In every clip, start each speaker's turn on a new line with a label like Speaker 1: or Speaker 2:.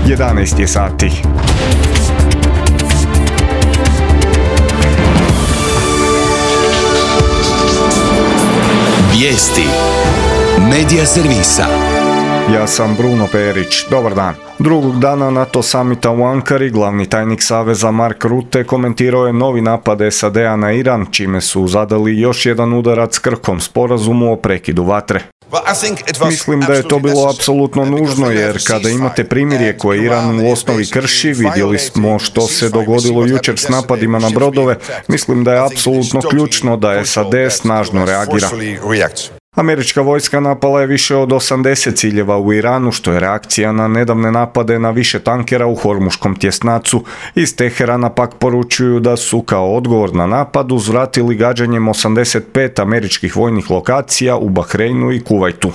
Speaker 1: 11 je sati.
Speaker 2: Vijesti Medija servisa.
Speaker 1: Ja sam Bruno Perić. Dobar dan. Drugog dana NATO samita u Ankari glavni tajnik Saveza Mark Rutte komentirao je novi napad SAD-a na Iran, čime su zadali još jedan udarac krhkom sporazumu o prekidu vatre. Mislim da je to bilo apsolutno nužno, jer kada imate primirje koje Iran u osnovi krši, vidjeli smo što se dogodilo jučer s napadima na brodove, mislim da je apsolutno ključno da SAD snažno reagira. Američka vojska napala je više od 80 ciljeva u Iranu, što je reakcija na nedavne napade na više tankera u Hormuškom tjesnacu. Iz Teherana pak poručuju da su kao odgovor na napad uzvratili gađanjem 85 američkih vojnih lokacija u Bahreinu i Kuvajtu.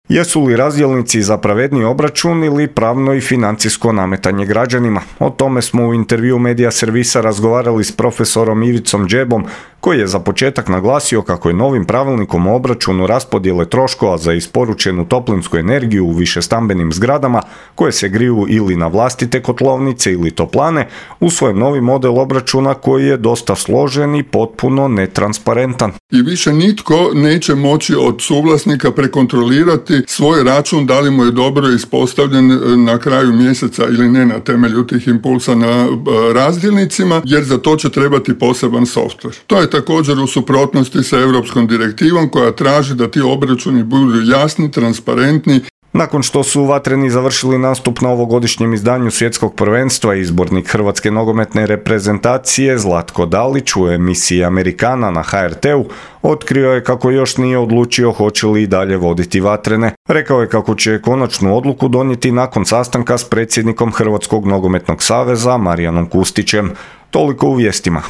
Speaker 1: Jesu li razdjelnici za pravedni obračun ili pravno i financijsko nametanje građanima? O tome smo u intervju Medija servisa razgovarali s profesorom Ivicom Džebom, koji je za početak naglasio kako je novim pravilnikom o obračunu raspodjele troškova za isporučenu toplinsku energiju u višestambenim zgradama, koje se griju ili na vlastite kotlovnice ili toplane, usvojen novi model obračuna koji je dosta složen i potpuno netransparentan.
Speaker 3: I više nitko neće moći od suvlasnika prekontrolirati svoj račun, da li mu je dobro ispostavljen na kraju mjeseca ili ne na temelju tih impulsa na razdjelnicima, jer za to će trebati poseban softver. To je također u suprotnosti sa europskom direktivom koja traži da ti obračuni budu jasni, transparentni.
Speaker 1: Nakon što su vatreni završili nastup na ovogodišnjem izdanju svjetskog prvenstva, izbornik hrvatske nogometne reprezentacije Zlatko Dalić u emisiji Amerikana na HRT-u otkrio je kako još nije odlučio hoće li i dalje voditi vatrene. Rekao je kako će konačnu odluku donijeti nakon sastanka s predsjednikom Hrvatskog nogometnog saveza Marijanom Kustićem. Toliko u vijestima.